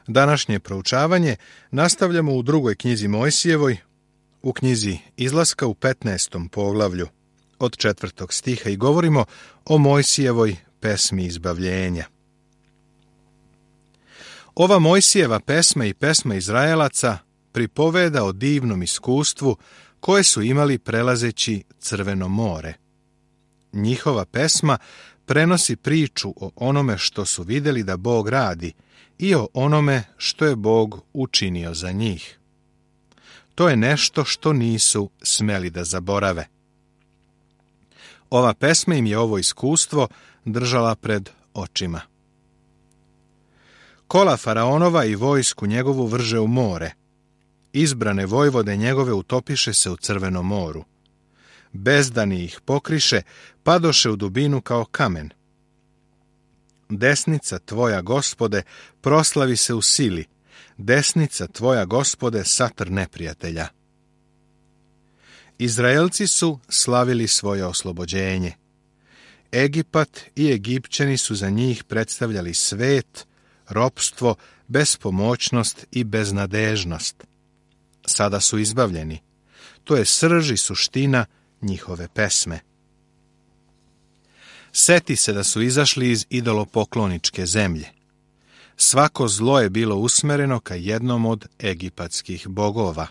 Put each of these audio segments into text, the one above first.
Današnje proučavanje nastavljamo u drugoj knjizi Mojsijevoj, u knjizi Izlaska u 15. poglavlju od 4. stiha i govorimo o Mojsijevoj pesmi izbavljenja. Ova Mojsijeva pesma i pesma Izraelaca pripoveda o divnom iskustvu koje su imali prelazeći Crveno more. Njihova pesma prenosi priču o onome što su vidjeli da Bog radi i o onome što je Bog učinio za njih. To je nešto što nisu smeli da zaborave. Ova pesma im je ovo iskustvo držala pred očima. Kola faraonova i vojsku njegovu vrže u more. Izbrane vojvode njegove utopiše se u Crvenom moru. Bezdani ih pokriše, padoše u dubinu kao kamen. Desnica tvoja, Gospode, proslavi se u sili. Desnica tvoja, Gospode, satr neprijatelja. Izraelci su slavili svoje oslobođenje. Egipat i Egipćani su za njih predstavljali svet, ropstvo, bespomoćnost i beznadežnost. Sada su izbavljeni. To je srž i suština njihove pesme. Seti se da su izašli iz idolopokloničke zemlje. Svako zlo je bilo usmereno ka jednom od egipatskih bogova.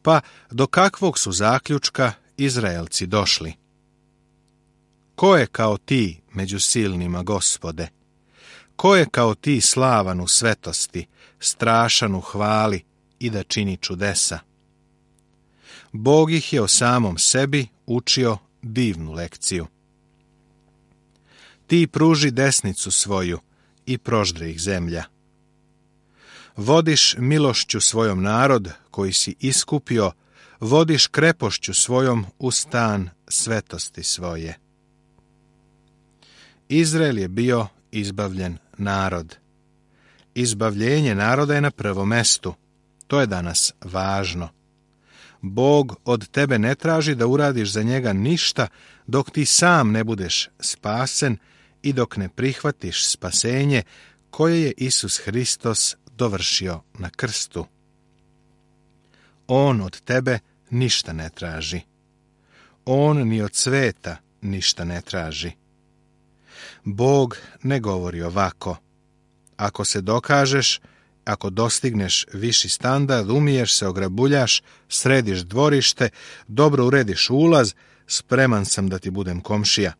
Pa do kakvog su zaključka Izraelci došli? Ko je kao ti među silnima, Gospode? Ko je kao ti slavan u svetosti, strašan u hvali i da čini čudesa? Bog ih je o samom sebi učio divnu lekciju. Ti pruži desnicu svoju i proždre ih zemlja. Vodiš milošću svojom narod koji si iskupio, vodiš krepošću svojom u stan svetosti svoje. Izrael je bio izbavljen narod. Izbavljenje naroda je na prvom mestu. To je danas važno. Bog od tebe ne traži da uradiš za njega ništa dok ti sam ne budeš spasen i dok ne prihvatiš spasenje koje je Isus Hristos dovršio na krstu. On od tebe ništa ne traži. On ni od sveta ništa ne traži. Bog ne govori ovako. Ako se dokažeš, ako dostigneš viši standard, umiješ se, ograbuljaš, središ dvorište, dobro urediš ulaz, spreman sam da ti budem komšija.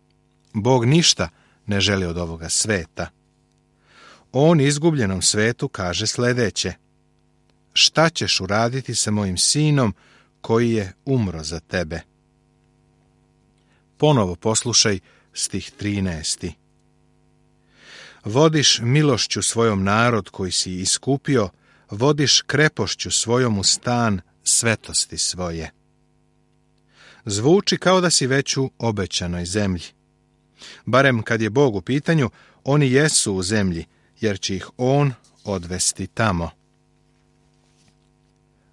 Bog ništa ne želi od ovoga sveta. On izgubljenom svetu kaže sljedeće: šta ćeš uraditi sa mojim sinom koji je umro za tebe? Ponovo poslušaj stih 13. Vodiš milošću svojom narod koji si iskupio, vodiš krepošću svojom u stan svetosti svoje. Zvuči kao da si već u obećanoj zemlji. Barem kad je Bog u pitanju, oni jesu u zemlji, jer će ih on odvesti tamo.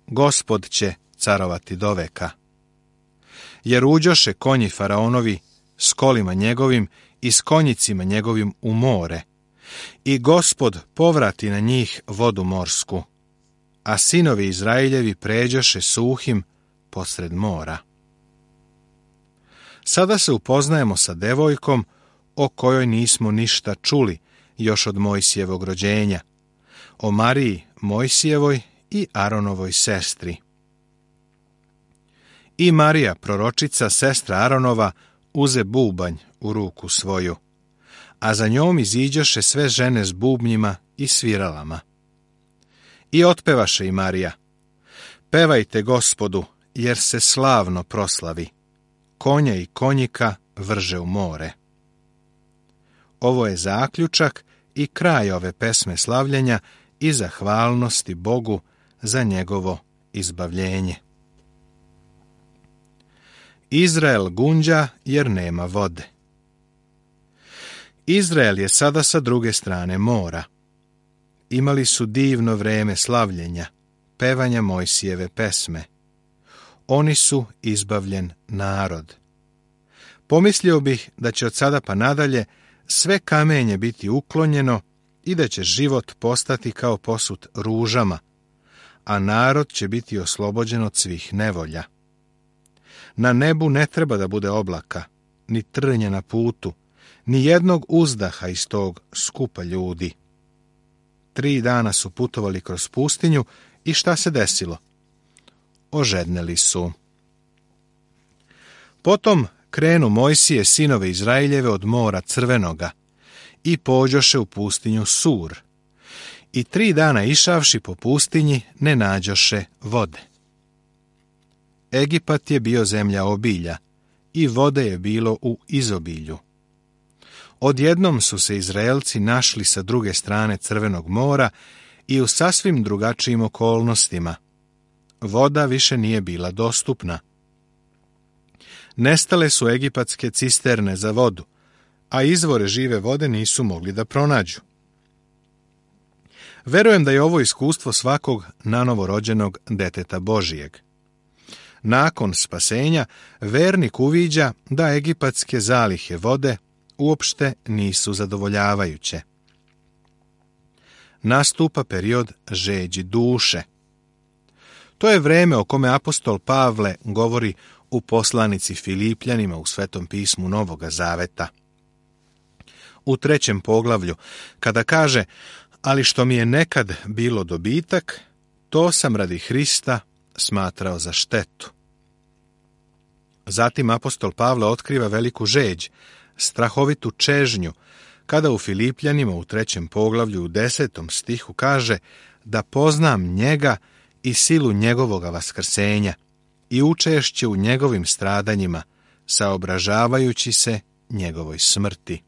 Gospod će carovati doveka. Jer uđoše konji faraonovi s kolima njegovim i s konjicima njegovim u more, i Gospod povrati na njih vodu morsku, a sinovi Izraeljevi pređoše suhim posred mora. Sada se upoznajemo sa devojkom o kojoj nismo ništa čuli još od Mojsijevog rođenja, o Mariji Mojsijevoj i Aronovoj sestri. I Marija, proročica, sestra Aronova, uze bubanj u ruku svoju, a za njom iziđoše sve žene s bubnjima i sviralama. I otpevaše i Marija: pevajte Gospodu, jer se slavno proslavi, konja i konjika vrže u more. Ovo je zaključak i kraj ove pesme slavljenja i zahvalnosti Bogu za njegovo izbavljenje. Izrael gunđa jer nema vode. Izrael je sada sa druge strane mora. Imali su divno vreme slavljenja, pevanja Mojsijeve pesme. Oni su izbavljen narod. Pomislio bih da će od sada pa nadalje sve kamenje biti uklonjeno i da će život postati kao posut ružama, a narod će biti oslobođen od svih nevolja. Na nebu ne treba da bude oblaka, ni trnja na putu, ni jednog uzdaha iz tog skupa ljudi. 3 dana su putovali kroz pustinju i šta se desilo? Ožedneli su. Potom krenu Mojsije sinove Izraeljeve od mora Crvenoga i pođoše u pustinju Sur. I 3 dana išavši po pustinji ne nađoše vode. Egipat je bio zemlja obilja i vode je bilo u izobilju. Odjednom su se Izraelci našli sa druge strane Crvenog mora i u sasvim drugačijim okolnostima. Voda više nije bila dostupna. Nestale su egipatske cisterne za vodu, a izvore žive vode nisu mogli da pronađu. Verujem da je ovo iskustvo svakog nanovorođenog deteta Božijeg. Nakon spasenja, vernik uviđa da egipatske zalihe vode uopšte nisu zadovoljavajuće. Nastupa period žeđi duše. To je vreme o kome apostol Pavle govori u poslanici Filipljanima u Svetom pismu Novoga Zaveta. U 3. poglavlju, kada kaže: ali što mi je nekad bilo dobitak, to sam radi Hrista smatrao za štetu. Zatim apostol Pavle otkriva veliku žeđ, strahovitu čežnju, kada u Filipljanima u 3. poglavlju u 10. stihu kaže da poznam njega i silu njegovoga vaskrsenja i učešće u njegovim stradanjima, saobražavajući se njegovoj smrti.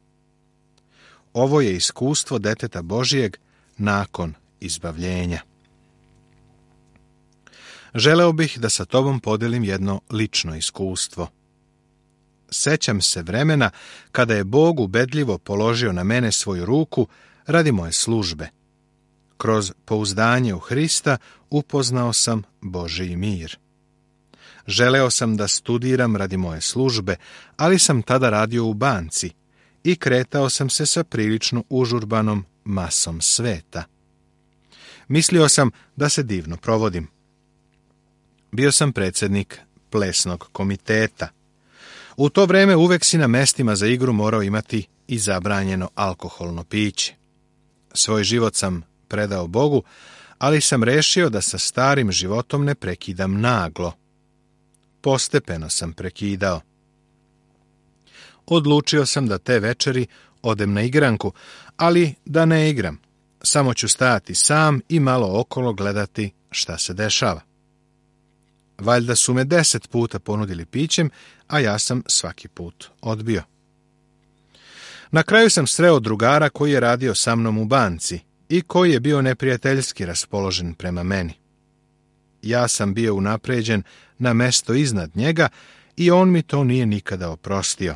Ovo je iskustvo deteta Božijeg nakon izbavljenja. Želeo bih da sa tobom podelim jedno lično iskustvo. Sećam se vremena kada je Bog ubedljivo položio na mene svoju ruku radi moje službe. Kroz pouzdanje u Hrista upoznao sam Božji mir. Želeo sam da studiram radi moje službe, ali sam tada radio u banci i kretao sam se sa prilično užurbanom masom sveta. Mislio sam da se divno provodim. Bio sam predsjednik plesnog komiteta. U to vreme uvek si na mestima za igru morao imati i zabranjeno alkoholno piće. Svoj život sam predao Bogu, ali sam rešio da sa starim životom ne prekidam naglo. Postepeno sam prekidao. Odlučio sam da te večeri odem na igranku, ali da ne igram. Samo ću stajati sam i malo okolo gledati šta se dešava. Valjda su me 10 puta ponudili pićem, a ja sam svaki put odbio. Na kraju sam sreo drugara koji je radio sa mnom u banci i koji je bio neprijateljski raspoložen prema meni. Ja sam bio unapređen na mesto iznad njega i on mi to nije nikada oprostio.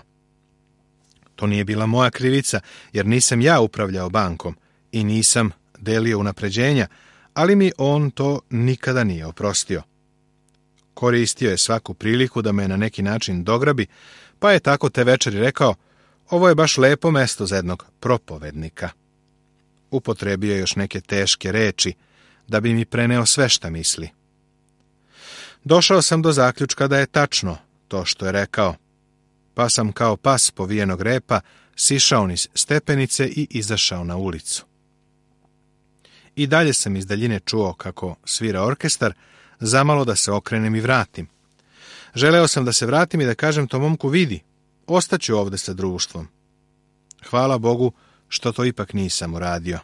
To nije bila moja krivica, jer nisam ja upravljao bankom i nisam delio unapređenja, ali mi on to nikada nije oprostio. Koristio je svaku priliku da me na neki način dograbi, pa je tako te večeri rekao: ovo je baš lepo mesto za jednog propovednika. Upotrebio je još neke teške reči, da bi mi preneo sve šta misli. Došao sam do zaključka da je tačno to što je rekao, pa sam kao pas povijenog repa sišao niz stepenice i izašao na ulicu. I dalje sam iz daljine čuo kako svira orkestar, zamalo da se okrenem i vratim. Želeo sam da se vratim i da kažem tom momku: vidi, ostaću ovde sa društvom. Hvala Bogu što to ipak nisam uradio.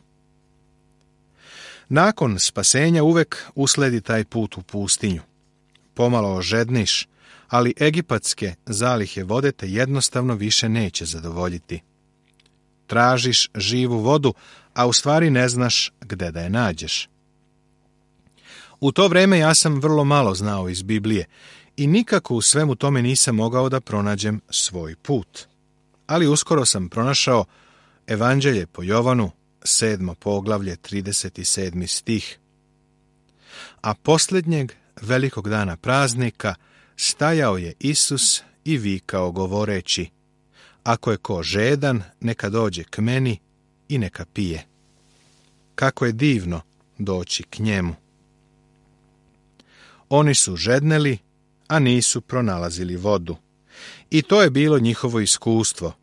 Nakon spasenja uvek usledi taj put u pustinju. Pomalo ožedniš, ali egipatske zalihe vode te jednostavno više neće zadovoljiti. Tražiš živu vodu, a u stvari ne znaš gde da je nađeš. U to vreme ja sam vrlo malo znao iz Biblije i nikako u svemu tome nisam mogao da pronađem svoj put. Ali uskoro sam pronašao Evanđelje po Jovanu, 7. poglavlje, 37. stih. A posljednjeg velikog dana praznika stajao je Isus i vikao govoreći: ako je ko žedan, neka dođe k meni i neka pije. kako je divno doći k njemu. Oni su žedneli, a nisu pronalazili vodu. I to je bilo njihovo iskustvo.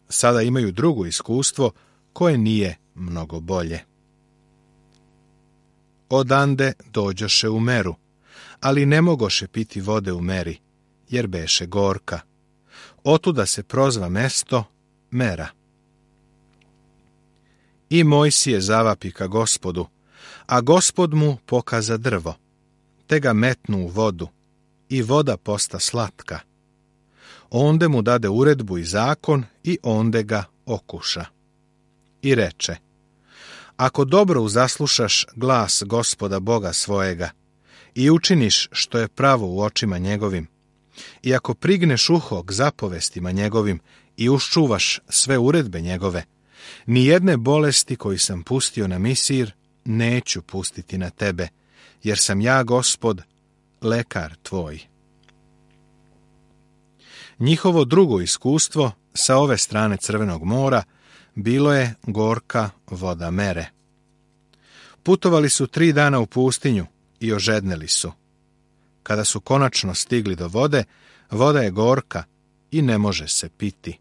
Sada imaju drugo iskustvo koje nije mnogo bolje. Odande dođoše u Meru, ali ne mogoše piti vode u Meri, jer beše gorka. Otuda se prozva mesto Mera. I Mojsije zavapi ka Gospodu, a Gospod mu pokaza drvo, te ga metnu u vodu, i voda posta slatka. Onde mu dade uredbu i zakon i onde ga okuša. I reče, ako dobro uzaslušaš glas Gospoda Boga svojega i učiniš što je pravo u očima njegovim, i ako prigneš uho k zapovestima njegovim i uščuvaš sve uredbe njegove, ni jedne bolesti koju sam pustio na Misir neću pustiti na tebe, jer sam ja, Gospod, lekar tvoj. Njihovo drugo iskustvo sa ove strane Crvenog mora bilo je gorka voda Mere. Putovali su 3 dana u pustinju i ožedneli su. Kada su konačno stigli do vode, voda je gorka i ne može se piti.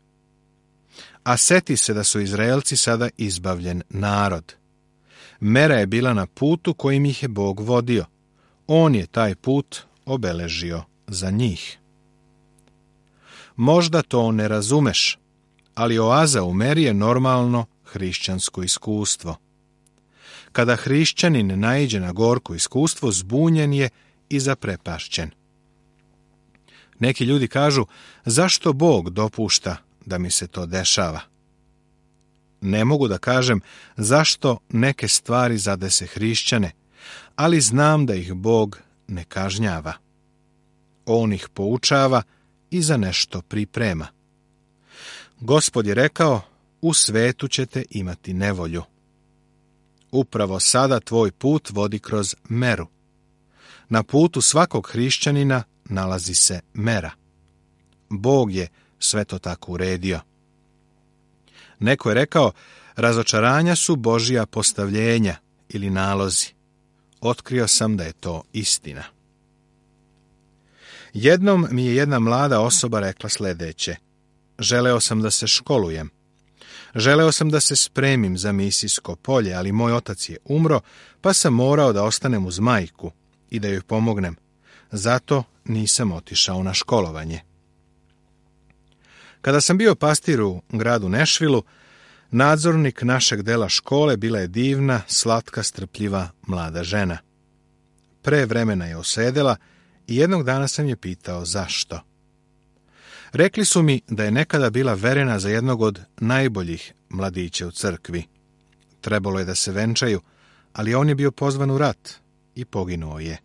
A seti se da su Izraelci sada izbavljen narod. Mera je bila na putu kojim ih je Bog vodio. On je taj put obeležio za njih. Možda to ne razumeš, ali oaza u Meri je normalno hrišćansko iskustvo. Kada hrišćanin naiđe na gorko iskustvo, zbunjen je i zaprepašćen. Neki ljudi kažu, zašto Bog dopušta da mi se to dešava? Ne mogu da kažem zašto neke stvari zadese hrišćane, ali znam da ih Bog ne kažnjava. On ih poučava i za nešto priprema. Gospod je rekao, u svetu ćete imati nevolju. Upravo sada tvoj put vodi kroz Meru. Na putu svakog hrišćanina nalazi se Mera. Bog je sve to tako uredio. Neko je rekao, razočaranja su Božja postavljenja ili nalozi. Otkrio sam da je to istina. Jednom mi je jedna mlada osoba rekla sljedeće. Želeo sam da se školujem. Želeo sam da se spremim za misijsko polje, ali moj otac je umro, pa sam morao da ostanem uz majku i da joj pomognem. Zato nisam otišao na školovanje. Kada sam bio pastir u gradu Nešvilu, nadzornik našeg dela škole bila je divna, slatka, strpljiva mlada žena. Pre vremena je osedela i jednog dana sam je pitao zašto. Rekli su mi da je nekada bila verena za jednog od najboljih mladića u crkvi. Trebalo je da se venčaju, ali on je bio pozvan u rat i poginuo je.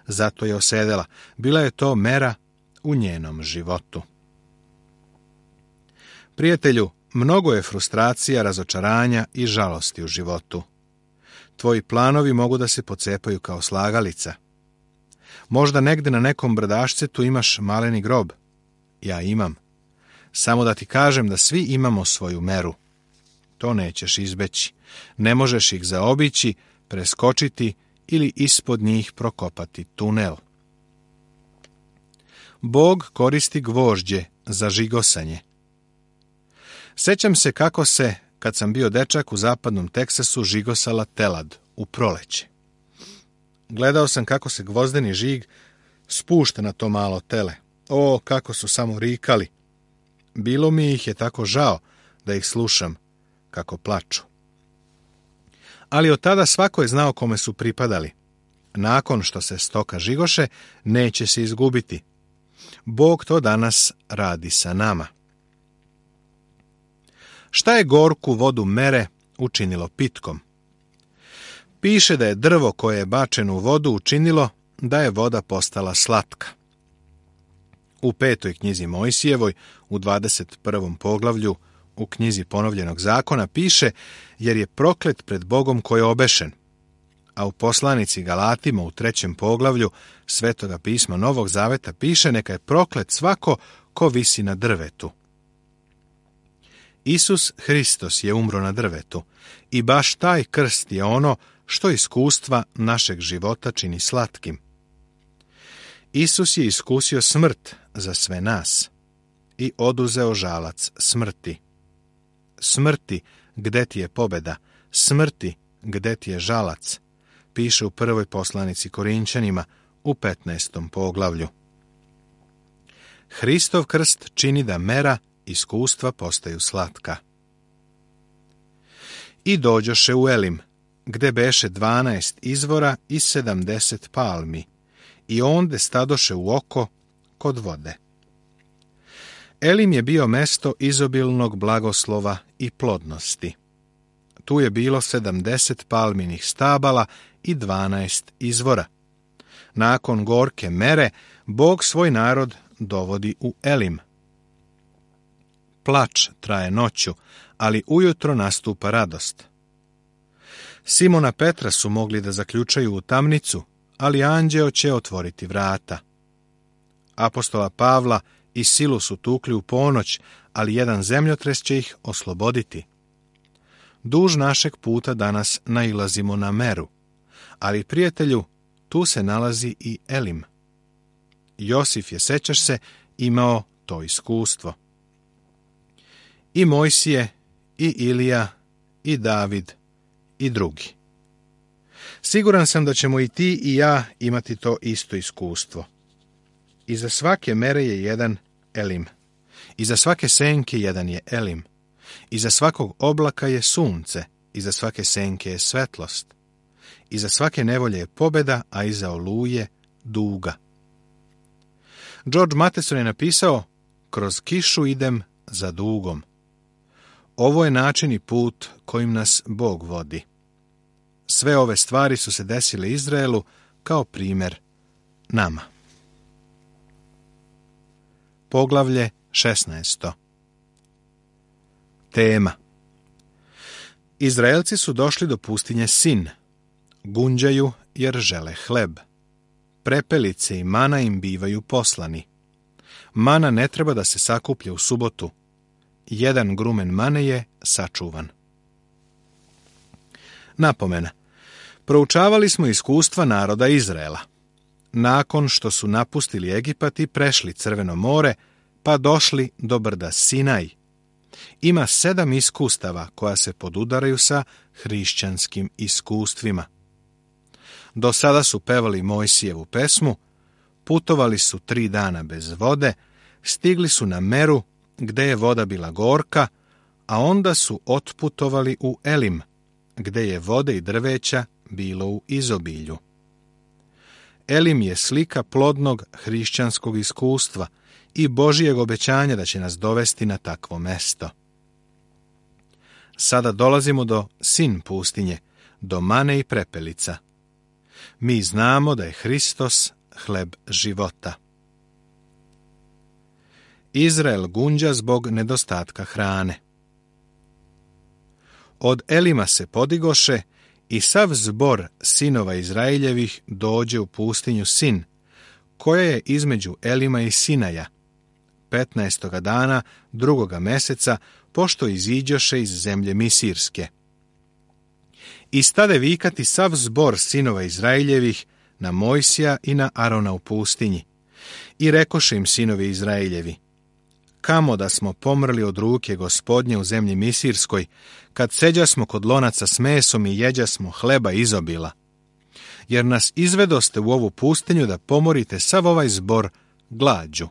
Zato je osedela. Bila je to mera u njenom životu. Prijatelju, mnogo je frustracija, razočaranja i žalosti u životu. Tvoji planovi mogu da se pocepaju kao slagalica. Možda negde na nekom brdašcetu imaš maleni grob. Ja imam. Samo da ti kažem da svi imamo svoju meru. To nećeš izbeći. Ne možeš ih zaobići, preskočiti ili ispod njih prokopati tunel. Bog koristi gvožđe za žigosanje. Sećam se kako se, kad sam bio dečak u zapadnom Teksasu, žigosala telad u proleće. Gledao sam kako se gvozdeni žig spušta na to malo tele. O, kako su samo rikali. Bilo mi ih je tako žao da ih slušam kako plaču. Ali od tada svako je znao kome su pripadali. Nakon što se stoka žigoše, neće se izgubiti. Bog to danas radi sa nama. Šta je gorku vodu Mere učinilo pitkom? Piše da je drvo koje je bačeno u vodu učinilo da je voda postala slatka. U 5. knjizi Mojsijevoj, u 21. poglavlju, u knjizi Ponovljenog zakona piše, jer je proklet pred Bogom koji je obešen. A u poslanici Galatima u 3. poglavlju Svetoga pisma Novog zaveta piše, neka je proklet svako ko visi na drvetu. Isus Hristos je umro na drvetu i baš taj krst je ono što iskustva našeg života čini slatkim. Isus je iskusio smrt za sve nas i oduzeo žalac smrti. Smrti, gde ti je pobjeda? Smrti, gde ti je žalac? Piše u prvoj poslanici Korinćanima u 15. poglavlju. Hristov krst čini da mera iskustva postaju slatka. I dođoše u Elim, gde beše 12 izvora i 70 palmi, i onde stadoše u oko kod vode. Elim je bio mesto izobilnog blagoslova i plodnosti. Tu je bilo 70 palminih stabala i 12 izvora. Nakon gorke mere, Bog svoj narod dovodi u Elim. Plač traje noću, ali ujutro nastupa radost. Simona Petra su mogli da zaključaju u tamnicu, ali anđeo će otvoriti vrata. Apostola Pavla i Silu su tukli u ponoć, ali jedan zemljotres će ih osloboditi. Duž našeg puta danas nailazimo na meru, ali, prijatelju, tu se nalazi i Elim. Josif je, sećaš se, imao to iskustvo. I Mojsije, i Ilija, i David, i drugi. Siguran sam da ćemo i ti i ja imati to isto iskustvo. Iza svake mere je jedan Elim. Iza svake senke jedan je Elim. Iza svakog oblaka je sunce. Iza svake senke je svetlost. Iza svake nevolje je pobjeda, a iza oluje duga. George Matheson je napisao: kroz kišu idem za dugom. Ovo je način i put kojim nas Bog vodi. Sve ove stvari su se desile Izraelu kao primjer nama. Poglavlje 16. Tema. Izraelci su došli do pustinje Sin. Gunđaju jer žele hleb. Prepelice i mana im bivaju poslani. Mana ne treba da se sakuplja u subotu. Jedan grumen mane je sačuvan. Napomena. Proučavali smo iskustva naroda Izraela. Nakon što su napustili Egipat i prešli Crveno more, pa došli do brda Sinaj. Ima 7 iskustava koja se podudaraju sa hrišćanskim iskustvima. Do sada su pevali Mojsijevu pesmu, putovali su 3 dana bez vode, stigli su na meru gde je voda bila gorka, a onda su otputovali u Elim, gde je vode i drveća bilo u izobilju. Elim je slika plodnog hrišćanskog iskustva i Božijeg obećanja da će nas dovesti na takvo mesto. Sada dolazimo do Sin pustinje, do mane i prepelica. Mi znamo da je Hristos hleb života. Izrael gunđa zbog nedostatka hrane. Od Elima se podigoše i sav zbor sinova Izraeljevih dođe u pustinju Sin, koja je između Elima i Sinaja, 15. dana 2. meseca, pošto iziđoše iz zemlje Misirske. I stade vikati sav zbor sinova Izraeljevih na Mojsija i na Arona u pustinji. I rekoše im sinovi Izraeljevi: kamo da smo pomrli od ruke Gospodnje u zemlji Misirskoj, kad seđasmo kod lonaca s mesom i jeđasmo hleba izobila. Jer nas izvedoste u ovu pustinju da pomorite sav ovaj zbor glađu.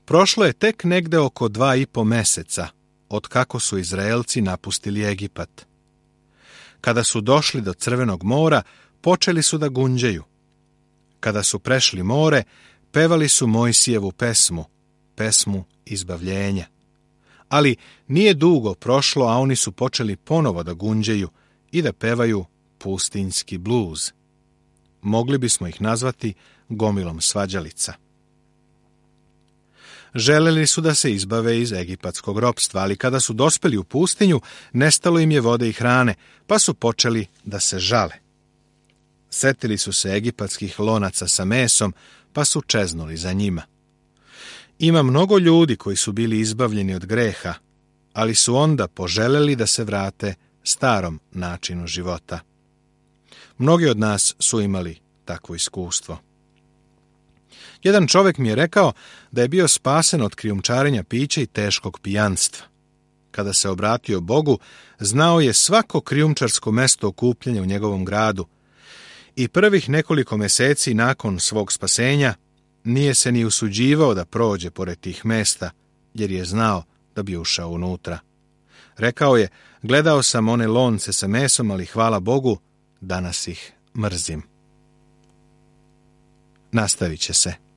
Prošlo je tek negde oko 2,5 meseca, od kako su Izraelci napustili Egipat. Kada su došli do Crvenog mora, počeli su da gunđaju. Kada su prešli more, pevali su Mojsijevu pesmu, pesmu izbavljenja. Ali nije dugo prošlo, a oni su počeli ponovo da gunđaju i da pevaju pustinjski bluz. Mogli bismo ih nazvati gomilom svađalica. Želeli su da se izbave iz egipatskog ropstva, ali kada su dospeli u pustinju, nestalo im je vode i hrane, pa su počeli da se žale. Setili su se egipatskih lonaca sa mesom, pa su čeznuli za njima. Ima mnogo ljudi koji su bili izbavljeni od greha, ali su onda poželjeli da se vrate starom načinu života. Mnogi od nas su imali takvo iskustvo. Jedan čovjek mi je rekao da je bio spasen od krijumčarenja pića i teškog pijanstva. Kada se obratio Bogu, znao je svako krijumčarsko mesto okupljanja u njegovom gradu i prvih nekoliko mjeseci nakon svog spasenja nije se ni usuđivao da prođe pored tih mesta, jer je znao da bi ušao unutra. Rekao je, gledao sam one lonce sa mesom, ali hvala Bogu, danas ih mrzim. Nastavit će se.